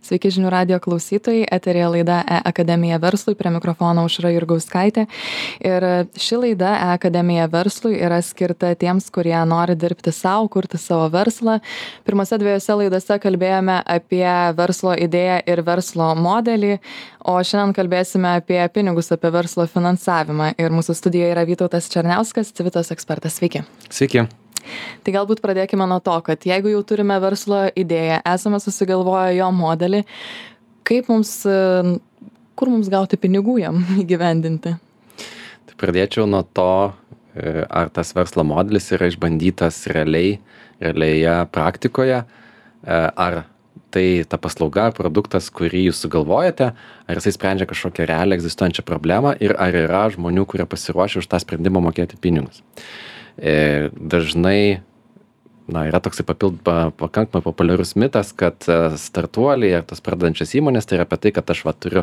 Sveiki žinių radijo klausytojai, eterėje laida E-akademija verslui, prie mikrofono Aušra Jurgauskaitė. Ir ši laida E-akademija verslui yra skirta tiems, kurie nori dirbti savo, kurti savo verslą. Pirmose dviejose laidose kalbėjome apie verslo idėją ir verslo modelį, o šiandien kalbėsime apie pinigus, apie verslo finansavimą. Ir mūsų studijoje yra Vytautas Černiauskas, Civitos ekspertas. Sveiki. Sveiki. Tai galbūt pradėkime nuo to, kad jeigu jau turime verslo idėją, esame susigalvoję jo modelį, kur mums gauti pinigų jam įgyvendinti? Tai pradėčiau nuo to, ar tas verslo modelis yra išbandytas realioje praktikoje, ar tai ta paslauga, produktas, kurį jūs sugalvojate, ar jisai sprendžia kažkokią realią egzistuojančią problemą ir ar yra žmonių, kurie pasiruošia už tą sprendimą mokėti pinigus. Dažnai yra toksai pakankamai populiarus mitas, kad startuoliai ar tos pradedančios įmonės tai yra apie tai, kad aš turiu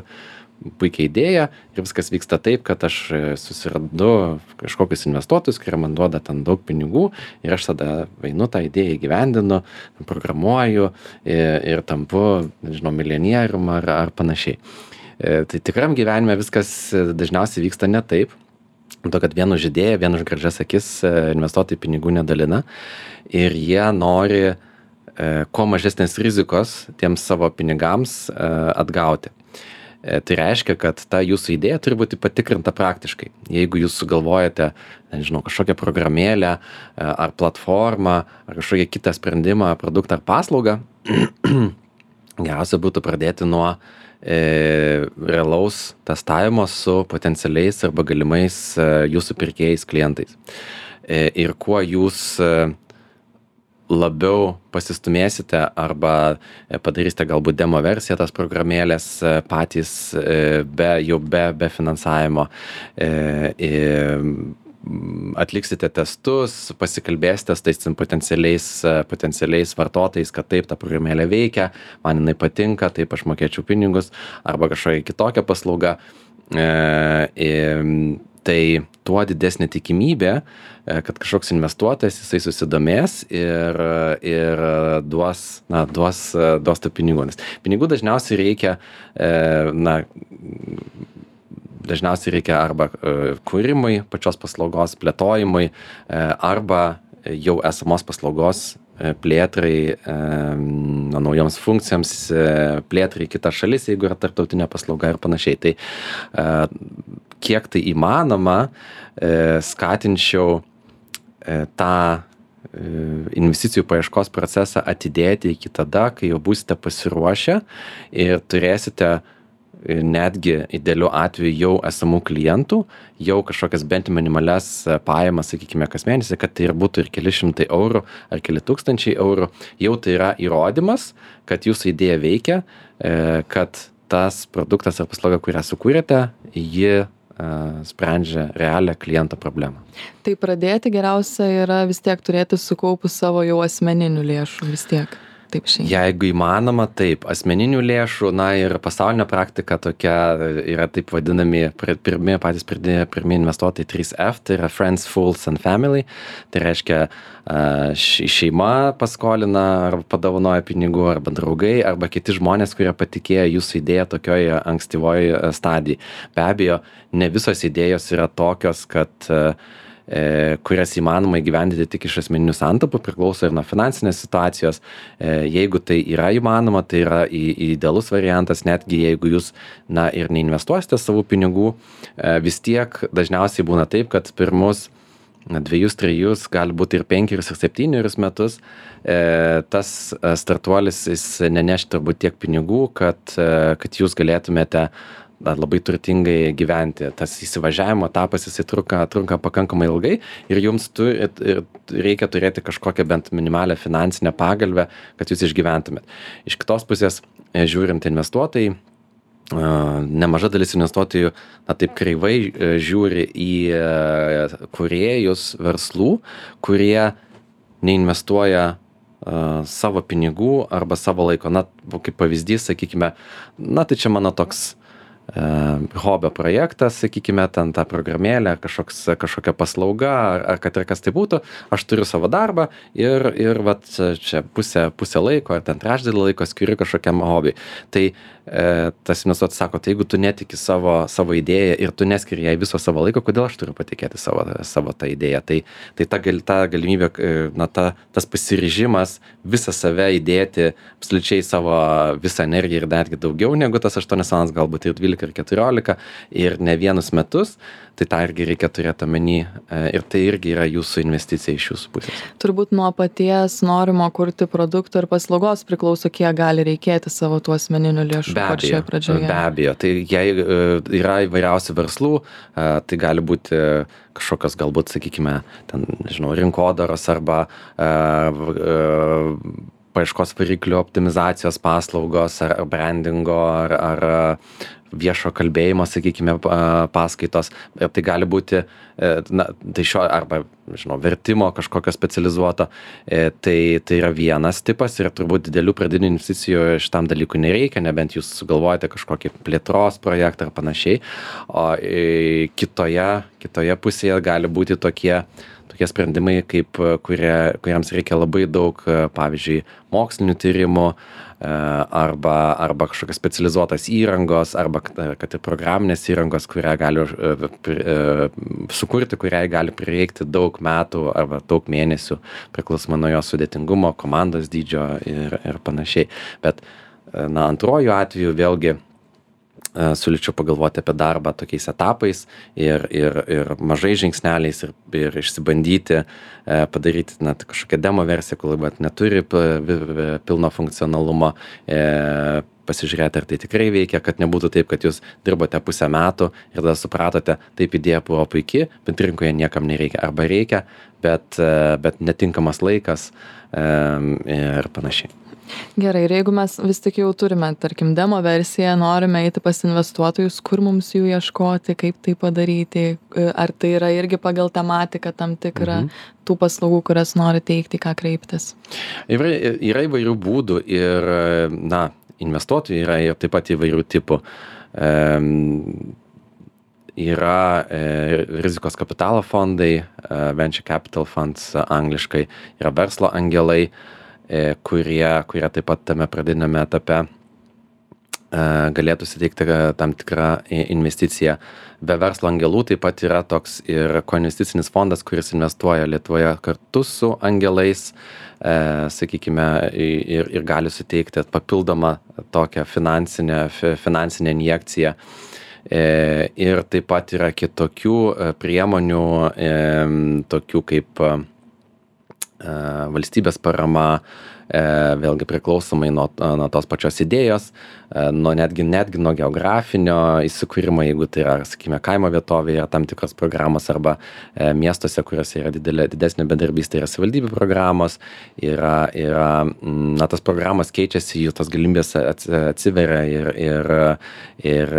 puikią idėją ir viskas vyksta taip, kad aš susirandu kažkokius investuotojus, kurie man duoda ten daug pinigų ir aš tada einu tą idėją įgyvendinu, programuoju ir tampu, milijonierium ar panašiai. Tai tikram gyvenime viskas dažniausiai vyksta ne taip. To, kad vienu už idėją, vienu už gražias akis investuotojai pinigų nedalina ir jie nori kuo mažesnės rizikos tiems savo pinigams atgauti. Tai reiškia, kad ta jūsų idėja turi būti patikrinta praktiškai. Jeigu jūs sugalvojate, kažkokią programėlę ar platformą ar kažkokią kitą sprendimą, produktą ar paslaugą, geriausia būtų pradėti nuo realaus testavimo su potencialiais arba galimais jūsų pirkėjais klientais. Ir kuo jūs labiau pasistumėsite arba padarysite galbūt demo versiją tas programėlės patys be finansavimo, atliksite testus, pasikalbėsite su tais potencialiais vartotojais, kad taip ta programėlė veikia, man jinai patinka, taip aš mokėčiau pinigus arba kažkokia kitokia paslauga, tai tuo didesnė tikimybė, kad kažkoks investuotojas jisai susidomės ir duos tų pinigų. Nes pinigų dažniausiai reikia arba kūrimui, pačios paslaugos plėtojimui, arba jau esamos paslaugos plėtrai, naujoms funkcijoms, plėtrai kitas šalis, jeigu yra tarptautinė paslauga ir panašiai. Tai kiek tai įmanoma, skatinčiau tą investicijų paieškos procesą atidėti iki tada, kai jau būsite pasiruošę ir turėsite netgi idealiu atveju jau esamų klientų, jau kažkokias bent minimalias pajamas, sakykime, kas mėnesį, kad tai ir būtų ir keli šimtai eurų ar keli tūkstančiai eurų, jau tai yra įrodymas, kad jūsų idėja veikia, kad tas produktas ar paslauga, kurią sukūrėte, ji sprendžia realią kliento problemą. Tai pradėti geriausia yra vis tiek turėti sukaupus savo jau asmeninių lėšų vis tiek. Jeigu įmanoma, taip, asmeninių lėšų, ir pasaulinė praktika tokia yra taip vadinami patys pirmi investuotojai 3F, tai yra Friends, Fools and Family, tai reiškia šeima paskolina arba padovanoja pinigų, arba draugai, arba kiti žmonės, kurie patikėjo jūsų idėją tokioje ankstyvoje stadijoje. Be abejo, ne visos idėjos yra tokios, kad kurias įmanoma įgyvendinti tik iš asmeninių santaupų, priklauso ir nuo finansinės situacijos. Jeigu tai yra įmanoma, tai yra idealus variantas, netgi jeigu jūs ir neinvestuosite savo pinigų, vis tiek dažniausiai būna taip, kad pirmus 2-3, gali būti ir 5 ir 7 metus, tas startuolis jis neneš turbūt tiek pinigų, kad jūs galėtumėte labai turtingai gyventi. Tas įsivažiavimo etapas jisai trunka pakankamai ilgai ir jums reikia turėti kažkokią bent minimalią finansinę pagalbę, kad jūs išgyventumėt. Iš kitos pusės, žiūrint investuotojai, nemaža dalis investuotojų taip kreivai žiūri į kūrėjus verslų, kurie neinvestuoja savo pinigų arba savo laiko. Kaip pavyzdys, sakykime, tai čia mano toks hobio projektas, sakykime, ten ta programėlė, kažkokia paslauga, ar kad ir kas tai būtų, aš turiu savo darbą ir vat čia pusę laiko, ar ten trečdalį laiko skiriu kažkokiam hobiui. Tai tas investuotojas sako, tai jeigu tu netiki savo idėją ir tu neskiri jai viso savo laiko, kodėl aš turiu patikėti savo tą idėją. Tai ta galimybė, tas pasiryžimas visą save įdėti, absoliučiai savo visą energiją ir netgi daugiau negu tas 8 valandas, galbūt ir 12 ir 14 ir ne vienus metus, tai tą irgi reikia turėti omeny ir tai irgi yra jūsų investicija iš jūsų pusės. Turbūt nuo paties norimo kurti produkto ir paslaugos priklauso, kiek gali reikėti savo tų asmeninių lėšų pačioje pradžioje. Be abejo, tai jei yra įvairiausių verslų, tai gali būti kažkokios galbūt, sakykime, ten, nežinau, rinkodaros arba paieškos variklių optimizacijos paslaugos ar brandingo ar viešo kalbėjimo, sakykime, paskaitos. Tai gali būti, tai arba, žinau, vertimo kažkokio specializuoto. Tai yra vienas tipas ir turbūt didelių pradinių investicijų šitam dalykui nereikia, nebent jūs sugalvojate kažkokį plėtros projektą ar panašiai. O kitoje pusėje gali būti tokie sprendimai, kuriems reikia labai daug, pavyzdžiui, mokslinių tyrimų arba kažkokios specializuotos įrangos, arba kad ir programinės įrangos, kurią gali sukurti, kuriai gali prireikti daug metų arba daug mėnesių, priklausomai nuo jo sudėtingumo, komandos dydžio ir panašiai. Bet antruoju atveju vėlgi siūlyčiau pagalvoti apie darbą tokiais etapais ir mažais žingsneliais ir išsibandyti, padaryti kažkokią demo versiją, kol neturi pilno funkcionalumo, pasižiūrėti, ar tai tikrai veikia, kad nebūtų taip, kad jūs dirbote pusę metų ir tada supratote, taip idėja buvo puiki, bet rinkoje niekam nereikia. Arba reikia, bet netinkamas laikas ir panašiai. Gerai, ir jeigu mes vis tik jau turime, tarkim, demo versiją, norime eiti pas investuotojus, kur mums jų ieškoti, kaip tai padaryti, ar tai yra irgi pagal tematiką tam tikrą tų paslaugų, kurias nori teikti, ką kreiptis? Yra įvairių būdų ir, investuotojų yra ir taip pat įvairių tipų. Yra rizikos kapitalo fondai, venture capital funds angliškai, yra verslo angelai, kurie taip pat tame pradinėme etape galėtų suteikti tam tikrą investiciją. Be verslo angelų taip pat yra toks ir koinvesticinis fondas, kuris investuoja Lietuvoje kartu su angelais, sakykime, ir gali suteikti papildomą tokią finansinę injekciją. Ir taip pat yra kitokių priemonių, tokių kaip valstybės parama, vėlgi priklausomai nuo tos pačios idėjos, netgi nuo geografinio įsikūrimo, jeigu tai yra, sakykime, kaimo vietovėje, yra tam tikros programos arba miestuose, kuriuose yra didesnė bedarbystė, yra savivaldybių programos, tas programos keičiasi, jų tos galimybės atsiveria ir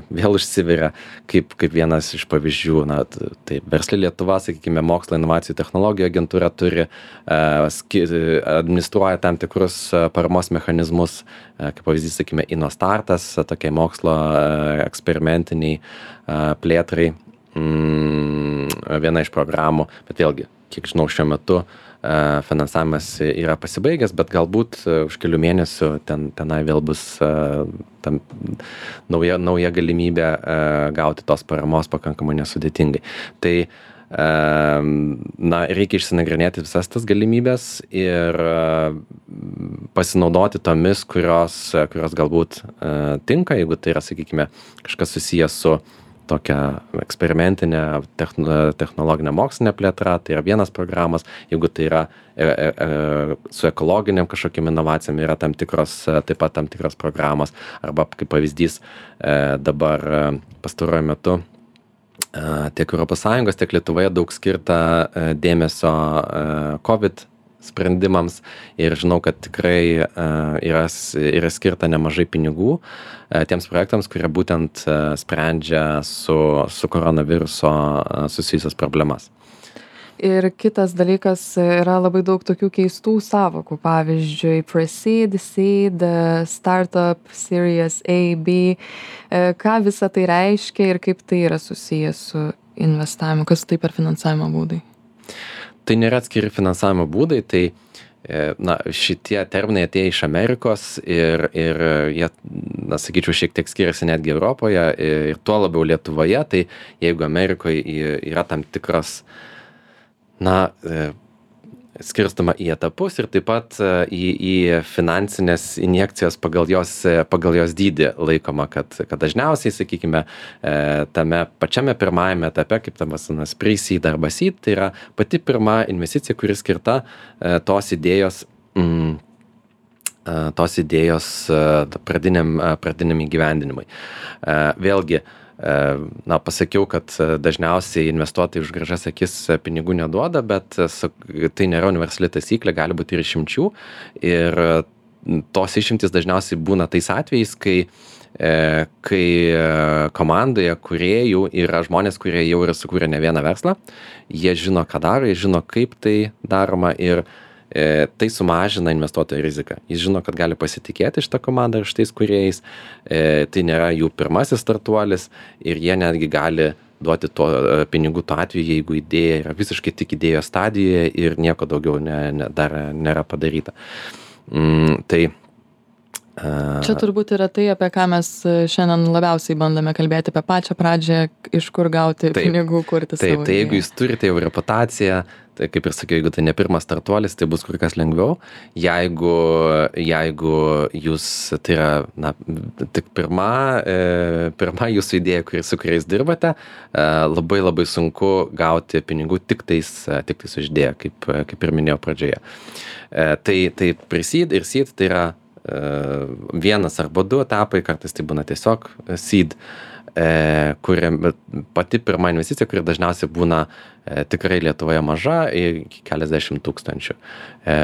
vėl išsiveria, kaip vienas iš pavyzdžių. Tai Versli Lietuva, sakykime, mokslo inovacijų technologijų agentūra turi administruoja tam tikrus paramos mechanizmus, kaip pavyzdys, sakykime, InnoStartas, tokiai mokslo eksperimentiniai plėtrai, viena iš programų, bet vėlgi, kiek žinau, šiuo metu finansavimas yra pasibaigęs, bet galbūt už kelių mėnesių tenai vėl bus nauja galimybė gauti tos paramos pakankamai nesudėtingai. Tai reikia išsinagrinėti visas tas galimybės ir pasinaudoti tomis, kurios galbūt tinka, jeigu tai yra, sakykime, kažkas susijęs su tokia eksperimentinė technologinė mokslinė plėtra, tai yra vienas programas, jeigu tai yra su ekologiniam kažkokiam inovacijom yra taip pat tam tikros programos, arba kaip pavyzdys dabar pastaruoju metu tiek ES, tiek Lietuvoje daug skirta dėmesio COVID sprendimams ir žinau, kad tikrai yra skirta nemažai pinigų tiems projektams, kurie būtent sprendžia su koronaviruso susijusias problemas. Ir kitas dalykas yra labai daug tokių keistų sąvokų, pavyzdžiui, pre-seed, seed, startup, series A, B. Ką visa tai reiškia ir kaip tai yra susijęs su investavimu, kas tai per finansavimo būdai? Tai nėra atskiri finansavimo būdai, tai šitie terminai atėjo iš Amerikos ir jie, sakyčiau, šiek tiek skiriasi netgi Europoje ir tuo labiau Lietuvoje, tai jeigu Amerikoje yra tam tikras skirstama į etapus ir taip pat į finansinės injekcijas pagal jos dydį laikoma, kad dažniausiai, sakykime, tame pačiame pirmajame etape, kaip tam vadinamas pre-seed arba seed, tai yra pati pirma investicija, kuri skirta tos idėjos pradiniam įgyvendinimui. Vėlgi, pasakiau, kad dažniausiai investuotojai už gražias akis pinigų neduoda, bet tai nėra universali taisyklė, gali būti ir išimčių. Ir tos išimtys dažniausiai būna tais atvejais, kai komandoje kūrėjų yra žmonės, kurie jau yra sukūrę ne vieną verslą, jie žino, ką daro, jie žino, kaip tai daroma ir tai sumažina investuotojo riziką. Jis žino, kad gali pasitikėti šitą komandą ir šitais kūrėjais. Tai nėra jų pirmasis startuolis ir jie netgi gali duoti pinigų tuo atveju, jeigu idėja yra visiškai tik idėjos stadijoje ir nieko daugiau dar nėra padaryta. Čia turbūt yra tai, apie ką mes šiandien labiausiai bandome kalbėti, apie pačią pradžią, iš kur gauti pinigų, kurti savo idėją. Tai jeigu jūs turite jau reputaciją, tai kaip ir sakiau, jeigu tai ne pirmas startuolis, tai bus kur kas lengviau. Jeigu jūs, tai yra tik pirma jūsų idėja, su kuriais dirbate, labai labai sunku gauti pinigų tik tais už idėją, kaip ir minėjau pradžioje. Tai pre-seed ir seed tai yra vienas arba du etapai, kartais tai būna tiesiog seed, pati pirma investicija, kuri dažniausiai būna tikrai Lietuvoje maža, iki keliasdešimt tūkstančių.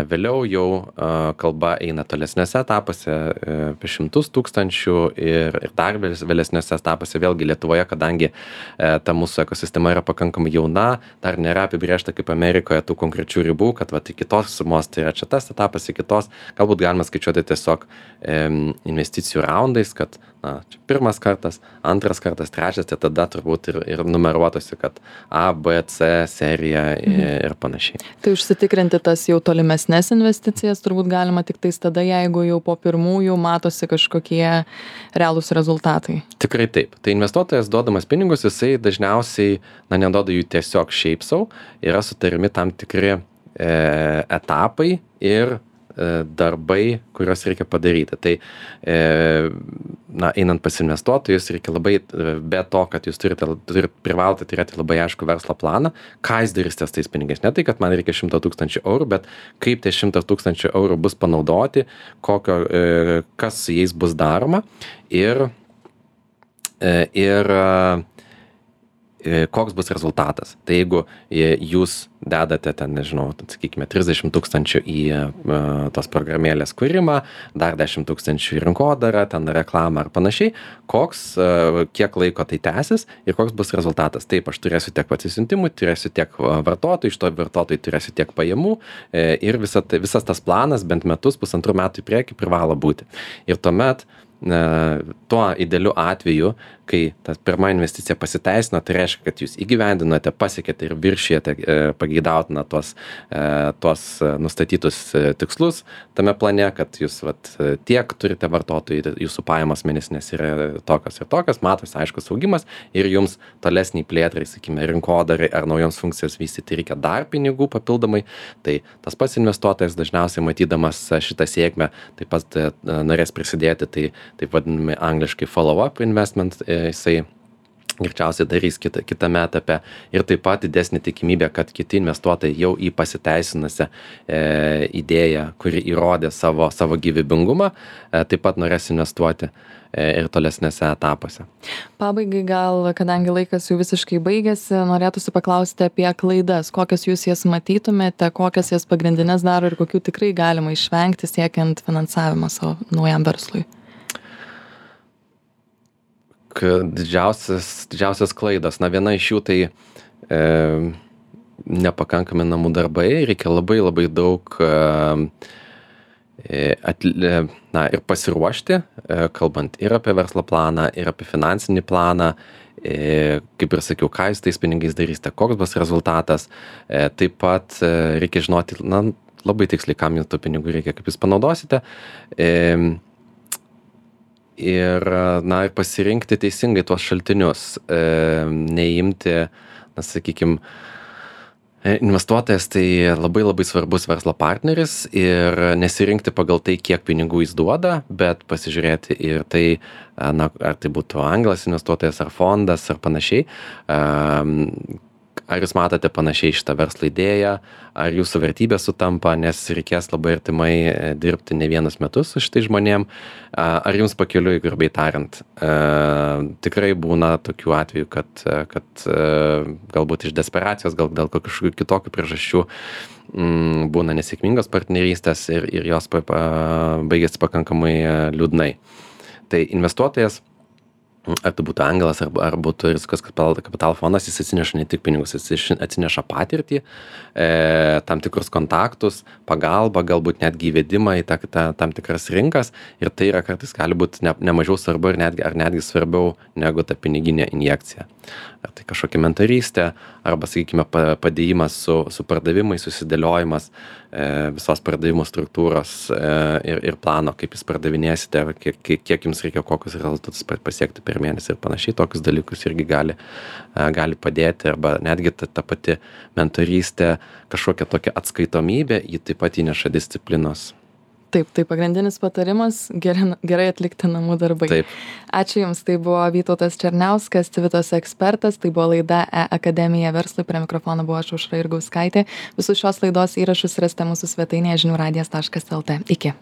Vėliau jau kalba eina tolesnėse etapuose apie 100 tūkstančių ir dar vėlesnėse etapuose. Vėlgi Lietuvoje, kadangi ta mūsų ekosistema yra pakankamai jauna, dar nėra apibrėžta kaip Amerikoje tų konkrečių ribų, kad iki tos sumos tai yra čia tas etapas, iki tos galbūt galima skaičiuoti tiesiog investicijų raundais, kad čia pirmas kartas, antras kartas, trečias, tai tada turbūt ir numeruotųsi, kad A, B, C serija ir panašiai. Tai užsitikrinti tas jau tolimesnės investicijas turbūt galima tik tais tada, jeigu jau po pirmųjų matosi kažkokie realūs rezultatai. Tikrai taip. Tai investuotojas duodamas pinigus, jisai dažniausiai neduoda jų tiesiog šiaip sau, yra sutarimi tam tikri etapai ir darbai, kuriuos reikia padaryti. Tai einant pas investuotojus, reikia labai, be to, kad jūs privalote turėti labai aišku verslo planą, ką jūs darysite tais pinigais. Ne tai, kad man reikia 100 000 eurų, bet kaip tie 100 000 eurų bus panaudoti, kas su jais bus daroma ir koks bus rezultatas. Tai jeigu jūs dedate ten, nežinau, sakykime, 30 000 į tos programėlės kūrimą, dar 10 000 į rinkodarą, ten reklamą ar panašiai, kiek laiko tai tęsis ir koks bus rezultatas. Taip, aš turėsiu tiek atsisiuntimų, turėsiu tiek vartotojų, iš to vartotojų turėsiu tiek pajamų ir visas tas planas bent metus, pusantrų metų į priekį privalo būti. Ir tuomet tuo idealiu atveju, kai ta pirma investicija pasiteisino, tai reiškia, kad jūs įgyvendinote, pasiekėte ir viršijate pageidautiną tuos nustatytus tikslus tame plane, kad jūs tiek turite vartotojų, jūsų pajamos mėnesinės yra tokios ir tokios, matosi aiškus augimas ir jums tolesniai plėtrai, sakykime, rinkodarai ar naujoms funkcijos vystyti reikia dar pinigų papildomai. Tai tas pats investuotojas dažniausiai matydamas šitą sėkmę taip pat norės prisidėti, tai taip vadinami angliškai follow-up investment, jisai greičiausiai darys kitame etape ir taip pat didesnė tikimybė, kad kiti investuotojai jau į pasiteisinusią idėją, kuri įrodė savo gyvybingumą, taip pat norės investuoti ir tolesnėse etapuose. Pabaigai gal, kadangi laikas jau visiškai baigėsi, norėtųsi paklausti apie klaidas. Kokias jūs jas matytumėte, kokias jas pagrindinės daro ir kokių tikrai galima išvengti siekiant finansavimo savo naujam verslui? Didžiausias klaidas. Viena iš jų tai nepakankami namų darbai, reikia labai labai daug ir pasiruošti, kalbant ir apie verslo planą, ir apie finansinį planą, kaip ir sakiau, ką jūs tais pinigais darysite, koks bus rezultatas. Taip pat reikia žinoti, labai tiksliai, kam jums tų pinigų reikia, kaip jūs panaudosite. Ir pasirinkti teisingai tuos šaltinius, neimti, sakykime, investuotojas tai labai labai svarbus verslo partneris ir nesirinkti pagal tai, kiek pinigų jis duoda, bet pasižiūrėti ir tai, ar tai būtų anglas investuotojas, ar fondas, ar panašiai. Ar jūs matote panašiai šitą verslo idėją, ar jūsų vertybės sutampa, nes reikės labai artimai dirbti ne vienus metus su šitais žmonėm, ar jums pakeliui, grubiai tariant. Tikrai būna tokių atvejų, kad galbūt iš desperacijos, gal dėl kažkokių kitokių priežasčių būna nesėkmingos partnerystės ir jos baigėsi pakankamai liūdnai. Tai investuotojas, ar tai būtų angelas, ar būtų rizikos kapitalo fondas, jis atsineša ne tik pinigus, jis atsineša patirtį, tam tikrus kontaktus, pagalbą, galbūt netgi įvedimą į tam tikras rinkas, ir tai yra kartais gali būti ne mažiau svarbu ar netgi svarbiau negu ta piniginė injekcija. Ar tai kažkokia mentorystė, arba, sakykime, padėjimas su pardavimais, susidėliojimas visos pardavimų struktūros ir plano, kaip jūs pardavinėsite, kiek jums reikia, kokius rezultatus pasiekti per mėnesį ir panašiai. Tokius dalykus irgi gali padėti, arba netgi ta pati mentorystė, kažkokia tokia atskaitomybė, ji taip pat įneša disciplinos. Taip, tai pagrindinis patarimas - gerai atlikti namų darbai. Taip. Ačiū Jums, tai buvo Vytautas Černiauskas, Civitos ekspertas, tai buvo laida E-akademija verslui, prie mikrofono buvo aš Aušra Jurgauskaitė. Visus šios laidos įrašus rasite mūsų svetainėje žiniųradijas.lt. Iki.